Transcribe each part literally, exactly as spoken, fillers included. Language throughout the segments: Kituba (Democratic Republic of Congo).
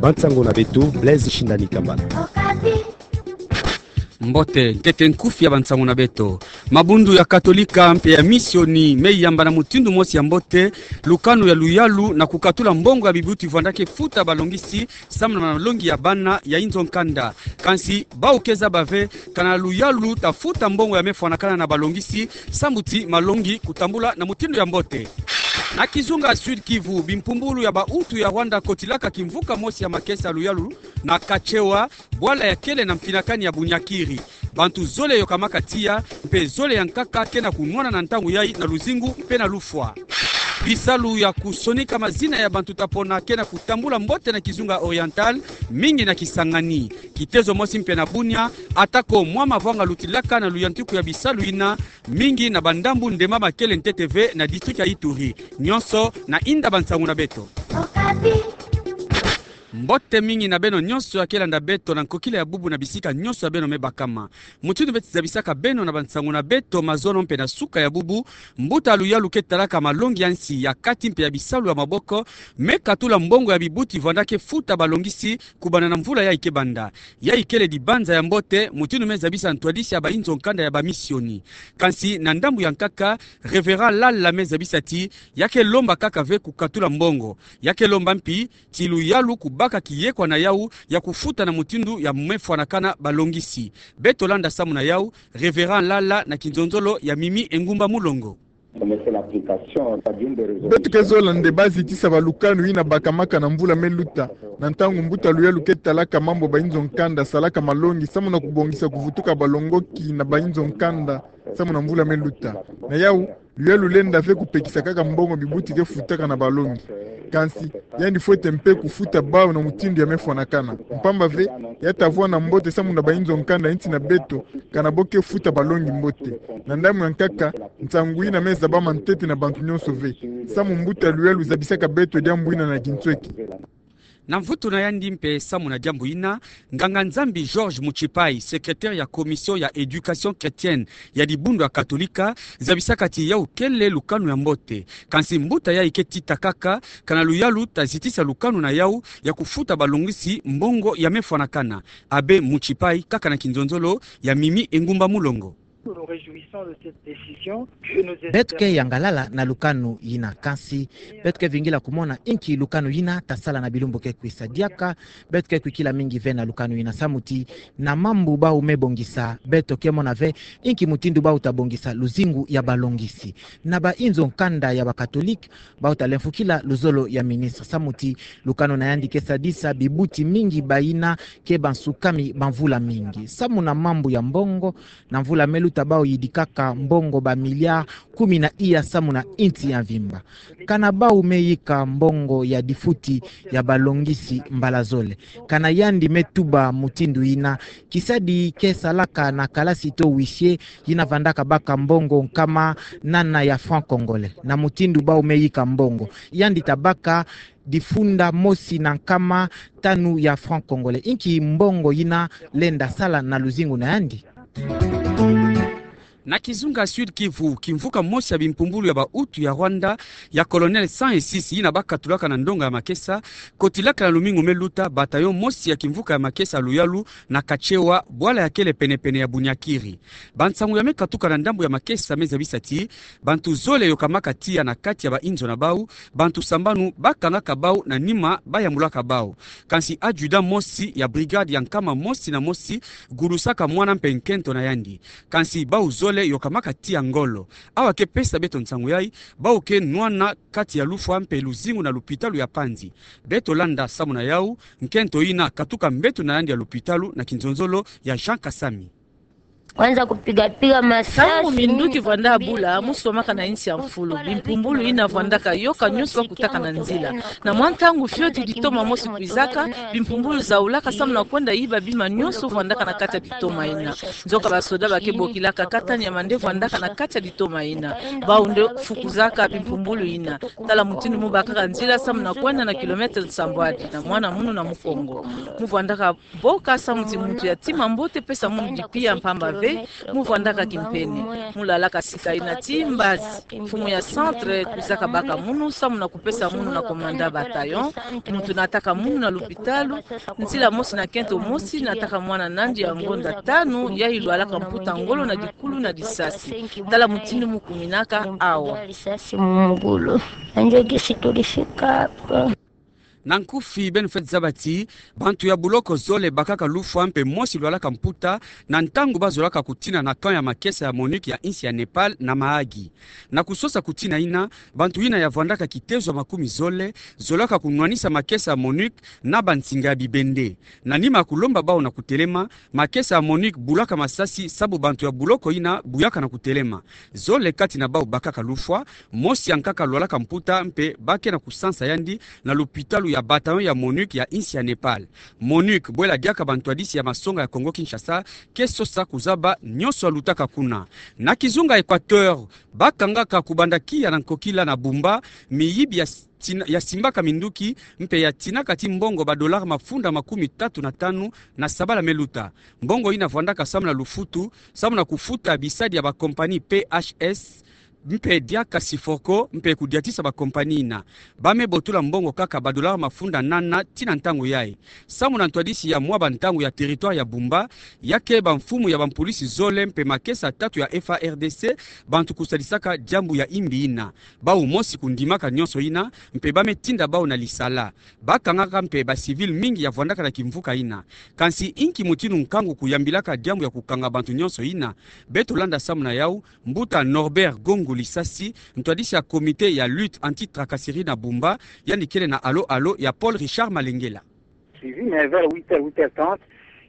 Bansango na beto, Blaise Shindani Kambala. Mbote, nkete nkufi ya bansango na beto. Mabundu ya Katolika mpe ya Misioni me yamba na mutindu mosi ya mbote lukanu ya luyalu na kukatula mbongo ya bibuti vwanda ke futa balongisi samu na malongi ya bana ya inzo nkanda. Kansi, bau ke zaba ve kana luyalu ta futa mbongo ya me fwanakana na balongisi samu ti malongi kutambula na mutindu ya mbote. Na kizunga Sud-Kivu, bimpumbulu ya bautu ya Rwanda kotilaka kimvuka mosi ya makesa luyalu na Kachewa, bwala ya kele na mpinakani ya Bunyakiri. Bantu zole yokamaka tiya, mpe zole ya nkaka ke na kunwana na ntangu yai na luzingu mpe na lufwa. Bisalu ya kusonika mazina ya bantu ta pona ke na kutambula mbote na kizunga Oriental, mingi na Kisangani. Kitezo mosi mpe na Bunia, atako mwa mavwanga lutilaka na luyantiku ya bisalu yina, mingi na bandambu ndemba ma kele ntete ve na district ya Ituri. Nyonso na inda bansango na beto. Mbote mingi na beno nyonso ya ke landa beto na nkokila ya bubu na bisika nyonso ya beno me bakama. Mutindu beti zabisaka beno na bansango na beto mazono mpe na suka ya bubu, mbuta luyalu ke talaka malongi ya nsi, ya kati mpe ya bisalu ya maboko, me katula mbongo ya bibuti vwanda ke futa balongisi kubanda na mvula yai ke banda. Yai kele dibanza ya mbote, mutindu me zabisa ntwadisi ya bainzo nkanda ya Bamisioni. Kansi na ndambu ya nkaka, Reverend Lala me zabisa ti, ya ke lomba kaka ve kukatula mbongo. Ya ke lomba mpi ti luyalu kubaka kiyekwa na yau ya kufuta na mutindu ya me fwanakana balongisi. Beto landa samu na yau, Reverend Lala na kinzonzolo ya Mimi Engumba Mulongo. Beto ke zola nde ba zitisa balukanu yina bakamaka na mvula me luta, na ntangu mbuta luyalu ke talaka mambu bainzo nkanda salaka malongi samu na kubongisa kuvutuka balongoki na bainzo nkanda samu na mvula me luta. Na yau, luyalu lenda ve kupekisa kaka mbongo bibuti ke futaka na balongi. Kansi, yandi fwete mpe kufuta bau na mutindu ya me fwanakana. Mpamba ve, ya ta vwanda mbote samu na bainzo nkanda ya nsi na beto, kana bo ke futa balongi mbote. Na ndambu ya nkaka, nsangu yina me zabama ntete na bantu nyonso ve. Samu mbuta luyalu zabisaka beto diambu yina na kinsweki. Na mvutu na yandi mpe samu na diambu yina, nganga-Nzambi Georges Mutshipayi, secrétaire ya commission ya éducation chrétienne ya dibundu ya Katolika, zabisaka ti yau kele lukanu ya mbote. Kansi mbuta yai ke tita kaka, kana luyalu ta zitisa lukanu na yau ya kufuta balongisi mbongo ya me fwanakana. Abbé Mutshipayi, kaka na kinzonzolo ya Mimi Engumba Mulongo. Beto ke yangalala na lukanu yina, kansi beto ke vingila kumona inki lukanu yina ta sala na bilumbu ke kwisa. Diaka beto ke kwikila mingi ve na lukanu yina samu ti na mambu bau me bongisa, beto ke mona ve inki mutindu bau ta bongisa luzingu ya balongisi. Na bainzo nkanda ya Bakatolika, bau ta lemfukila luzolo ya ministre samu ti lukanu na yandi ke sadisa bibuti mingi bayina ke bansukami ba mvula mingi. Samu na mambu ya mbongo, na mvula me luta bau yidikaka mbongo ba milliards kumi na iya samu na insi ya mvimba. Kana bau me yika mbongo ya difuti ya balongisi mbala zole. Kana yandi me tuba mutindu yina, kisadi ke salaka na kalasi to huissier yina vandaka baka mbongo nkama nana ya francs congolais. Na mutindu bau me yika mbongo, yandi ta baka difunda mosi na nkama tanu ya francs congolais. Inki mbongo yina lenda sala na luzingu na yandi? Na kizunga Sud-Kivu, kimvuka mosi ya bimpumbulu ya bahutu ya Rwanda, ya Colonel cent et six, yina bakatulaka na ndonga ya makesa, kotilaka na lumingu me luta bataillon mosi ya kimvuka ya makesa luyalu na Kachewa, bwala ya kele pene-pene ya Bunyakiri. Bansangu ya me katuka na ndambu ya makesa me zabisa ti bantu zole yokamaka tiya na kati ya bainzo na bau, bantu sambanu bakangaka bau na nima bayambulaka bau. Kansi adjudant mosi ya brigade ya nkama mosi na mosi gulusaka mwana mpe nkento na yandi. Kansi bau zole yokamaka tiya ngolo. Awa ke pesa beto nsangu yai, bau ke nwana kati ya lufwa mpe luzingu na lupitalu ya Panzi. Beto landa samu na yau, nkento yina katuka mbeto na yandi ya lupitalu na kinzonzolo ya Jean Kasami. Kwanza kupiga piga masasi. Ntangu minduki vwanda bula, mu swamaka na insi ya mfulu. Bimpumbulu yina vwandaka yoka nyonso bakutaka na nzila. Na mwa ntangu fioti ditoma mosi kwizaka, bimpumbulu zaulaka samu na kwenda yiba bima nyonso vwandaka na kati ya ditoma yina. Nzoka basoda ba ke bokilaka katani ya mande vwandaka na kati ya ditoma yina. Bau nde fukuzaka bimpumbulu yina. Tala mutindu mu bakaka nzila samu na kwenda na kilomètre nsambwadi na mwana munu na Mukongo. Mu vwandaka boka samu ti muntu ya tima mbote pesa munu dipia mpamba ve Mu vwandaka kimpene, mu lalaka sika ina ti mbazi. Mfumu ya centre kwizaka baka munu samu na kupesa munu na commandant bataillon, muntu nataka munu na lupitalu, nzila mosi na kento mosi nataka mwana nandi ya ngonda tanu, yayi lwalaka mputa ngolo na dikulu na disasi. Tala mutindu mu kuminaka awa. Na nkufi, beno fweti zaba ti bantu ya buloko zole bakaka lufwa mpe mosi lwalaka mputa na ntangu bazolaka kutina na camp ya makesa ya MONUC ya insi ya Népal na Mahagi. Na kusosa kutina ina, bantu ina ya vwandaka kitezo ya makumi zole zolaka kunwanisa makesa ya MONUC na bansinga ya bibende. Na nima ya kulomba bau na kutelema, makesa ya MONUC bulaka masasi sabu bantu ya buloko ina buyaka na kutelema. Zole kati na bau bakaka lufwa, mosi ya nkaka lwalaka mputa mpe ba ke na kusansa yandi na lupitalu ya bataillon ya MONUC ya insi ya Népal. MONUC, bwela diaka bantwadisi ya masonga ya Congo-Kinshasa, ke sosa kuzaba nyonso ya lutaka kuna. Na kizunga Équateur, bakangaka kubanda kiya na nkokila na Bumba miyibi ya tina-, ya simbaka minduki mpe ya tinaka ti mbongo ba dollars mafunda makumi tatu na tanu na sabala me luta. Mbongo ina vwandaka samu na lufutu, samu na kufuta bisadi ya ba compagnie P H S, mpe diaka Syfrocor, mpe kudiatisa ba compagnie ina. Ba me botula mbongo kaka ba dollars mafunda nana ti na ntangu yayi. Samu na ntwadisi ya mwa bantangu ya territoire ya Bumba, ya ke bamfumu ya bampulisi zole mpe makesa tatu ya F A R D C, bantu kusadisaka diambu ya imbi ina. Bau mosi kundimaka nyonso ina, mpe ba me tinda bau na lisala. Bakangaka mpe ba civils mingi ya vwandaka na kimvuka ina. Kansi inki mutindu nkangu kuyambilaka diambu ya kukanga bantu nyonso ina? Beto landa samu na yau, mbuta Norbert Gongo Lisasi, ntwadisi ya comité ya lutte anti-tracasserie na Bumba, yandi kele na alo-alo ya Paul Richard Malengela. Suivi, mais vers huit heures, huit heures trente,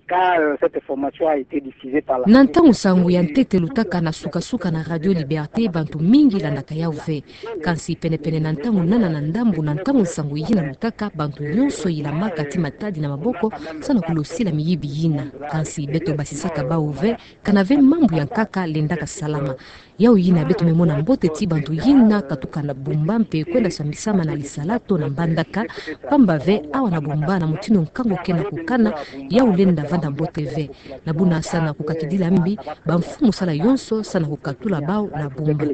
quand, euh, cette information a été diffusée par la Na ntangu nsangu ya ntete lutaka na suka-suka na Radio Liberté, bantu mingi landaka yau ve. Kansi pene-pene na ntangu nana na ndambu na ntangu nsangu yina lutaka, bantu nyonso yilamaka ti matadi na maboko, samu na kulosila miyibi yina. Kansi beto basisaka bau ve, kana ve mambu ya nkaka lendaka salama. Yau yina beto me mona mbote ti bantu yina katuka na Bumba mpe kwenda sambisama na lisala to na Mbandaka, pamba ve awa na Bumba na mutindu nkangu ke na kukana, yau lenda vanda mbote ve. Na buna samu na kukakidila mbi, bamfumu sala yonso samu na kukatula bau na Bumba.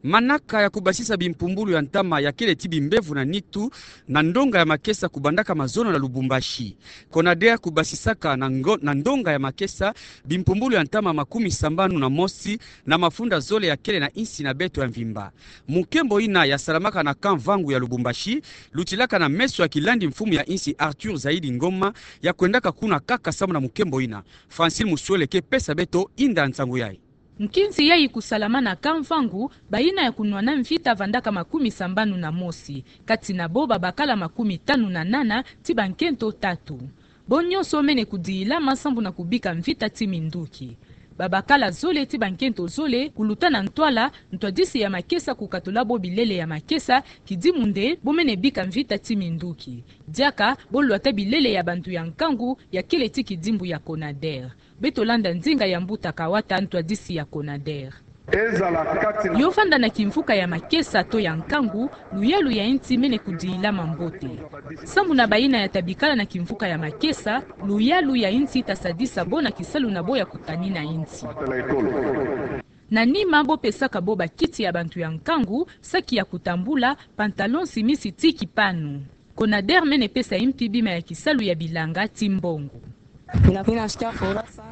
Manaka ya kubasisa bimpumbulu ya ntama ya kele ti bimbevo na nitu na ndonga ya makesa kubandaka mazono na Lubumbashi. CONADER kubasisaka na ngo-, na ndonga ya makesa bimpumbulu ya ntama makumi sambanu na mosi na mafunda zole ya kele na insi na beto ya mvimba. Mukembo ina ya salamaka na camp Vangu ya Lubumbashi, lutilaka na meso ya kilandi mfumu ya insi Arthur Zaidi Ngoma, ya kwendaka kuna kaka samu na mukembo ina. Francine Musuele ke pesa beto inda nsangu yayi. Nkinzi yayi kusalama na camp Vangu, bayina ya kunwana mvita vandaka makumi sambanu na mosi, kati na bo babakala makumi tanu na nana ti bankento tatu. Bo nyonso mene kudilama sambu na kubika mvita ti minduki. Babakala zole ti bankento zole kuluta na ntwala, ntwadisi ya makesa kukatula bo bilele ya makesa, kidimu nde bo mene bika mvita ti minduki. Diaka bo lwata bilele ya bantu ya nkangu ya kele ti kidimbu ya CONADER. Beto landa ndinga ya mbuta Kawata, ntwadisi ya CONADER. Yo vanda na kimvuka ya makesa to ya nkangu, luyalu ya insi mene kudilama mbote. Sambu na bayina ya ta bikala na kimvuka ya makesa, luyalu ya insi ta sadisa bo na kisalu na bo ya kutanina insi. Na nima bo pesaka bo bakiti ya bantu ya nkangu, saki ya kutambula, pantalon, simisi ti kipanu. CONADER mene pesa impi bima ya kisalu ya bilanga ti mbongo.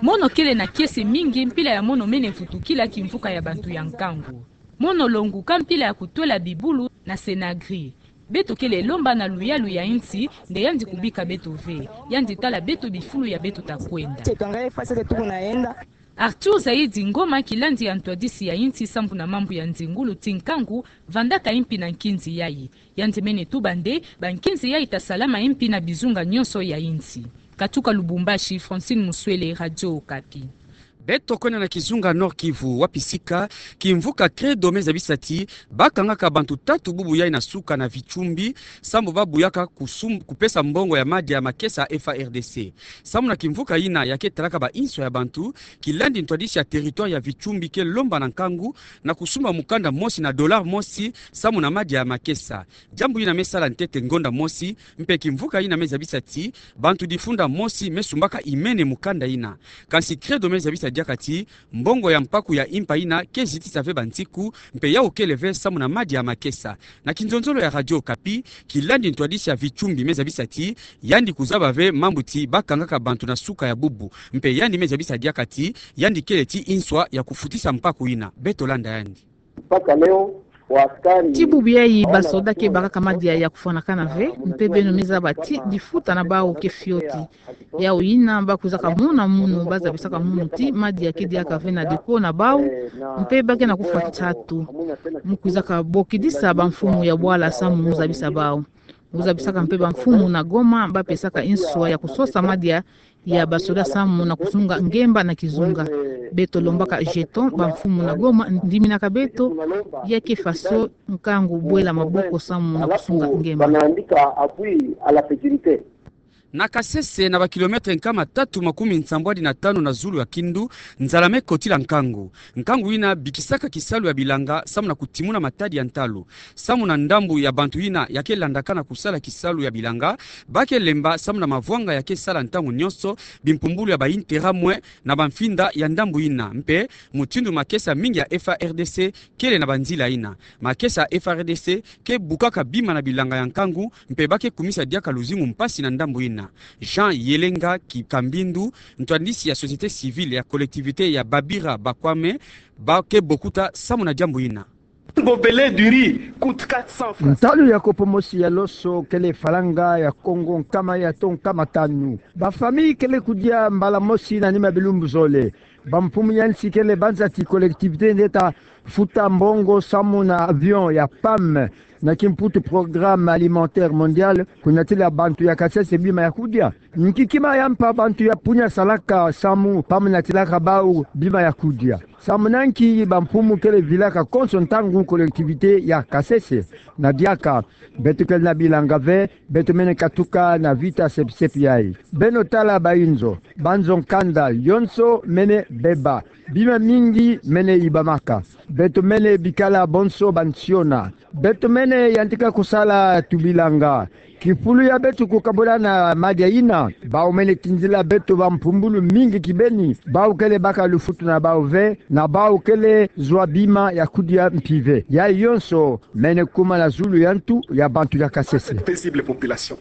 Mono kele na kiese mingi, mpila ya mono mene vutukila kimvuka ya bantu ya nkangu. Mono longuka mpila ya kutwela bibulu na Senagri. Beto kele lomba na luyalu ya insi, nde yandi kubika beto ve. Yandi tala beto bifulu ya beto ta kwenda. Arthur Zaidi Ngoma, kilandi ya ntwadisi ya insi sambu na mambu ya nzingulu ti nkangu, vandaka impi na nkinzi yayi. Yandi mene tuba nde bankinzi yayi ta salama impi na bizunga nyonso ya insi. Katuka Lubumbashi, Francine Muswele, Radio Okapi. Beto kwenda na kizunga Nord-Kivu, wapi sika kimvuka Credo me zabisa ti bakangaka bantu tatu bubu yai na suka na Vichumbi, sambu babuyaka kusum-, kupesa mbongo ya madia ya makesa ya F A R D C. Samu na kimvuka yina ya ke talaka ba inswa ya bantu, kilandi ntwadisi ya territoire ya Vichumbi ke lomba na nkangu na kusumba mukanda mosi na dollar mosi samu na madia ya makesa. Diambu yina me sala ntete ngonda mosi, mpe kimvuka yina me zabisa ti bantu difunda mosi me sumbaka imene mukanda yina. Kansi Credo me zabisa diaka ti mbongo ya mpaku ya impa yina ke zitisa ve bansiku, mpe yawu kele ve samu na madia ya makesa. Na kinzonzolo ya Radio Okapi, kilandi ntwadisi ya Vichumbi me zabisa ti yandi kuzaba ve mambu ti bakangaka bantu na suka ya bubu, mpe yandi me zabisa diaka ti yandi kele ti inswa ya kufutisa mpaku yina. Beto landa yandi. Mpaka leo, waaskari ti bubu yai, basoda ke bakaka madia ya kufwanakana ve, mpe beno me zaba ti difuta na bawu ke fioti. Yawu yina bakwizaka mona munu, bazabisaka munu ti madia ke diaka ve na deko na bawu, mpe ba ke na kufwa nsatu. Mu kwizaka bokidisa bamfumu ya bwala samu mu zabisa bawu. Mu zabisaka mpe bamfumu na Goma, bapesaka inswa ya kusosa madia ya basoda samu na kusunga ngemba na kizunga. Beto lombaka jeton, bamfumu na Goma ndiminaka beto, ya ke faso nkangu bwela maboko samu na kusunga ngemba. Na Kasese, na ba kilomètre nkama tatu makumi nsambwadi na tanu na zulu ya Kindu, nzala me kotila nkangu. Nkangu yina bikisaka kisalu ya bilanga samu na kutimuna matadi ya ntalu. Samu na ndambu ya bantu yina ya ke landaka na kusala kisalu ya bilanga, ba ke lemba samu na mavwanga ya ke sala ntangu nyonso bimpumbulu ya ba intérêt mwe na bamfinda ya ndambu yina. Mpe mutindu makesa mingi ya F A R D C kele na banzila yina. Makesa ya F A R D C ke bukaka bima na bilanga ya nkangu, mpe ba ke kumisa diaka luzingu mpasi na ndambu yina. Jean Yelenga Ki-, Kambindu, ntwadisi ya société civile ya collectivité ya Babira Bakwame, ba ke bokuta samu na diambu yina. Bobele du riz coûte quatre cents francs. Ntalu ya kopo mosi ya loso kele falanga ya Kongo nkama ya to nkama tanu. Ba famille kele kudia mbala mosi na nima bilumbu zole. Bamfumu ya nsi kele banza ti collectivité nde ta futa mbongo samu na avion ya PAM, na kimputu Programme Alimentaire Mondial, kunatila bantu ya Kasese bima ya kudia. Nki kima ya mpa bantu ya Punia salaka samu PAM natilaka bawu bima ya kudia? Samu na nki bamfumu kele vilaka konso ntangu collectivité ya Kasese? Na diaka, beto kele na bilanga ve, beto mene katuka na vita sepi-sepi yai. Beno tala ba inzo, banzo nkanda yonso mene beba. Bima mingi mene ibamaka. Beto mene bikala bonso bansiona. Beto mene yantika kusala tubilanga. Kifulu ya beto kukabula na madia yina, bawu mene tinzila beto bampumbulu mingi kibeni, bawu kele baka lufutu na bawu ve, na bawu kele zwa bima ya kudia mpi ve. Yayi yonso mene kuma na zulu ya ntu ya bantu ya Kasese. Paisible population.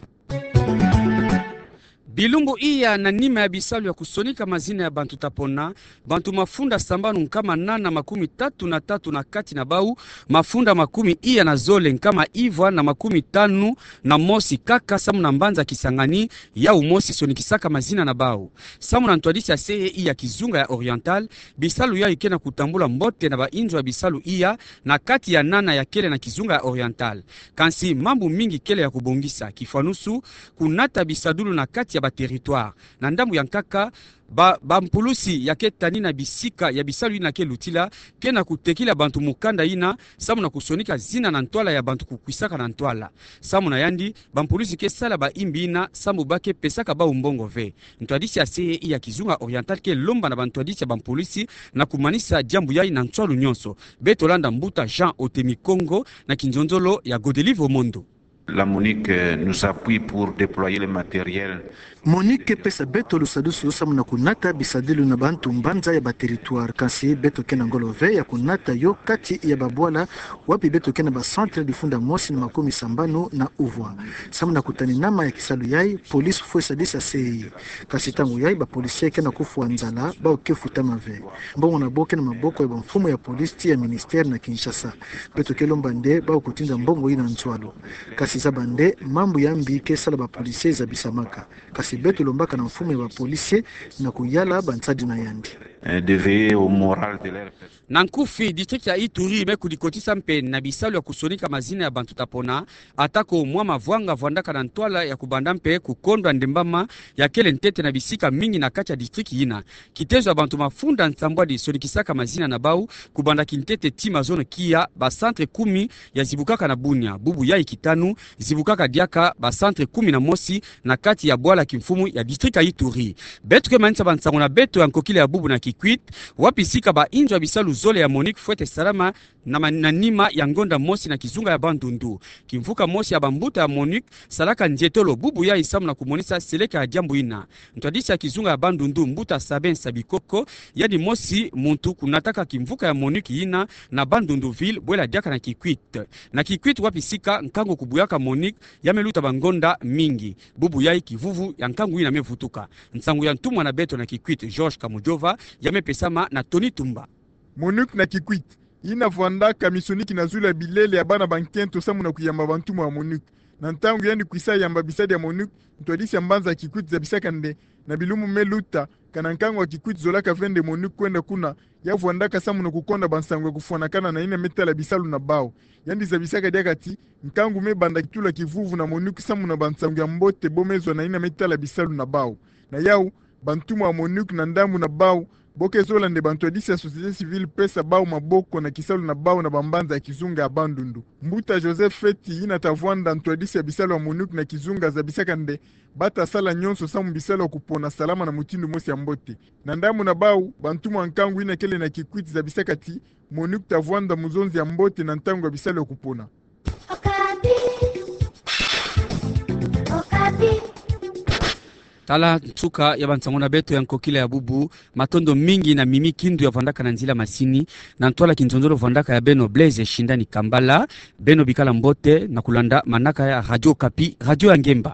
Bilumbu iya na nima ya bisalu ya kusonika mazina ya bantu tapona, bantu mafunda sambanu nkama nana makumi tatu na tatu na kati na bawu, mafunda makumi iya na zole nkama ivwa na makumi tanu na mosi kaka samu na mbanza Kisangani, yawu mosi sonikisaka mazina na bawu. Samu na ntwadisi ya C E I ya kizunga ya Oriental, bisalu yayi ke na kutambula mbote na ba inzo ya bisalu iya na kati ya nana ya kele na kizunga ya Oriental. Kansi mambu mingi kele ya kubongisa, kifwanusu kunata bisadulu na kati ya ba territoire. Na ndambu ya nkaka, ba, bampulusi ya ke tanina bisika ya bisalu yina ke lutila, ke na kutekila bantu mukanda yina, samu na kusonika zina na ntwala ya bantu kukwisaka na ntwala. Samu na yandi, bampulusi ke sala ba imbi yina, samu ba ke pesaka bawu mbongo ve. Ntwadisi ya C E I ya kizunga Oriental ke lomba na bantwadisi ya bampulusi na kumanisa diambu yayi na nswalu nyonso. Beto landa mbuta Jean Otemi Kongo na kinzonzolo ya Godelive Omondo. La MONUC, euh, nous appuie pour déployer le matériel. MONUC ke pesa beto lusadusu samu na kunata bisadulu na bantu mbanza ya ba territoire, kansi beto ke na ngolo ve ya kunata yo kati ya babwala wapi beto ke na ba centre difunda mosi na makumi sambanu na uvwa. Samu na kutani nama ya kisalu yayi, police fwe sadisa C E I. Kansi ntangu yayi, ba policier ke na kufwa nzala, bawu ke futama ve. Mbongo na bo ke na maboko ya bamfumu ya police ti ya ministère na Kinshasa. Beto ke lomba nde bawu kutinda mbongo yina nswalu. Kansi zaba nde mambu ya mbi ke sala ba policier zabisamaka. Kansi beto lombaka na mfumu ya ba policier na kuyala bansadi na yandi. euh, de veiller au moral de leurs personnes. Na nkufi, district ya Ituri me kudikotisa mpe na bisalu ya kusonika mazina ya bantu tapona, atako mwa mavwanga vwandaka na ntwala ya kubanda mpe kukondwa ndembama ya kele ntete na bisika mingi na kati ya district yina. Kitezo ya bantu mafunda nsambwadi sonikisaka mazina na bau, kubanda kintete tii mazono kia, ba centre kumi ya zibukaka na Bunia, bubu yai kitanu, zibukaka diaka ba centre kumi na mosi na kati ya bwala kimfumu ya district ya Ituri. Beto ke manisa bansango na beto ya nkokila ya bubu na Kikwit, wapi sika ba inzo ya bisalu zole ya MONUC fwete salama na ma-, na nima ya ngonda mosi na kizunga ya Bandundu. Kimvuka mosi ya bambuta ya MONUC salaka nzietolo bubu yai samu na kumonisa seleka ya diambu yina. Ntwadisi ya kizunga ya Bandundu, mbuta Sabin Sabikoko, yandi mosi muntu kunataka kimvuka ya MONUC yina na Bandundu ville, bwela diaka na Kikwit. Na Kikwit wapi sika nkangu kubuyaka MONUC ya me luta bangonda mingi. Bubu yai kivuvu ya nkangu yina me vutuka. Nsangu ya ntumwa na beto na Kikwit, George Kamujova, ya me pesama na Tony Tumba. MONUC na Kikwit, yina vwandaka misoniki na zulu ya bilele ya bana bankento samu na kuyamba bantumwa ya MONUC. Na ntangu yandi kwisa yamba bisadi ya MONUC, ntwadisi ya mbanza ya Kikwit zabisaka nde, na bilumbu me luta, kana nkangu ya Kikwit zolaka ve nde MONUC kwenda kuna, ya vwandaka samu na kukonda bansangu ya kufwanakana na yina me tala bisalu na bau. Yandi zabisaka diaka ti, nkangu me banda kitula kivuvu na MONUC samu na bansangu ya mbote bo me zwa na yina me tala bisalu na bau. Na yau, bantumwa ya MONUC na ndambu na bau, bo ke zola nde bantwadisi ya société civile pesa bau maboko na kisalu na bau na bambanza ya kizunga ya Bandundu. Mbuta Joseph Feti, yina ta vwanda ntwadisi ya bisalu ya MONUC na kizunga, zabisaka nde, bata sala nyonso samu bisalu ya kupona salama na mutindu mosi ya mbote. Na ndambu na bau, bantumwa ya nkangu yina kele na Kikwit zabisaka ti, MONUC ta vwanda muzonzi ya mbote na ntangu ya bisalu ya kupona. Okapi. Okapi. Tala nsuka ya bansango na beto ya nkokila ya bubu. Matondo mingi na Mimi Kindu ya vwandaka na nzila masini, na ntwala kinzonzolo vwandaka ya beno Blaise Shindani Kambala. Beno bikala mbote na kulanda manaka ya Radio Okapi, radio ya ngemba.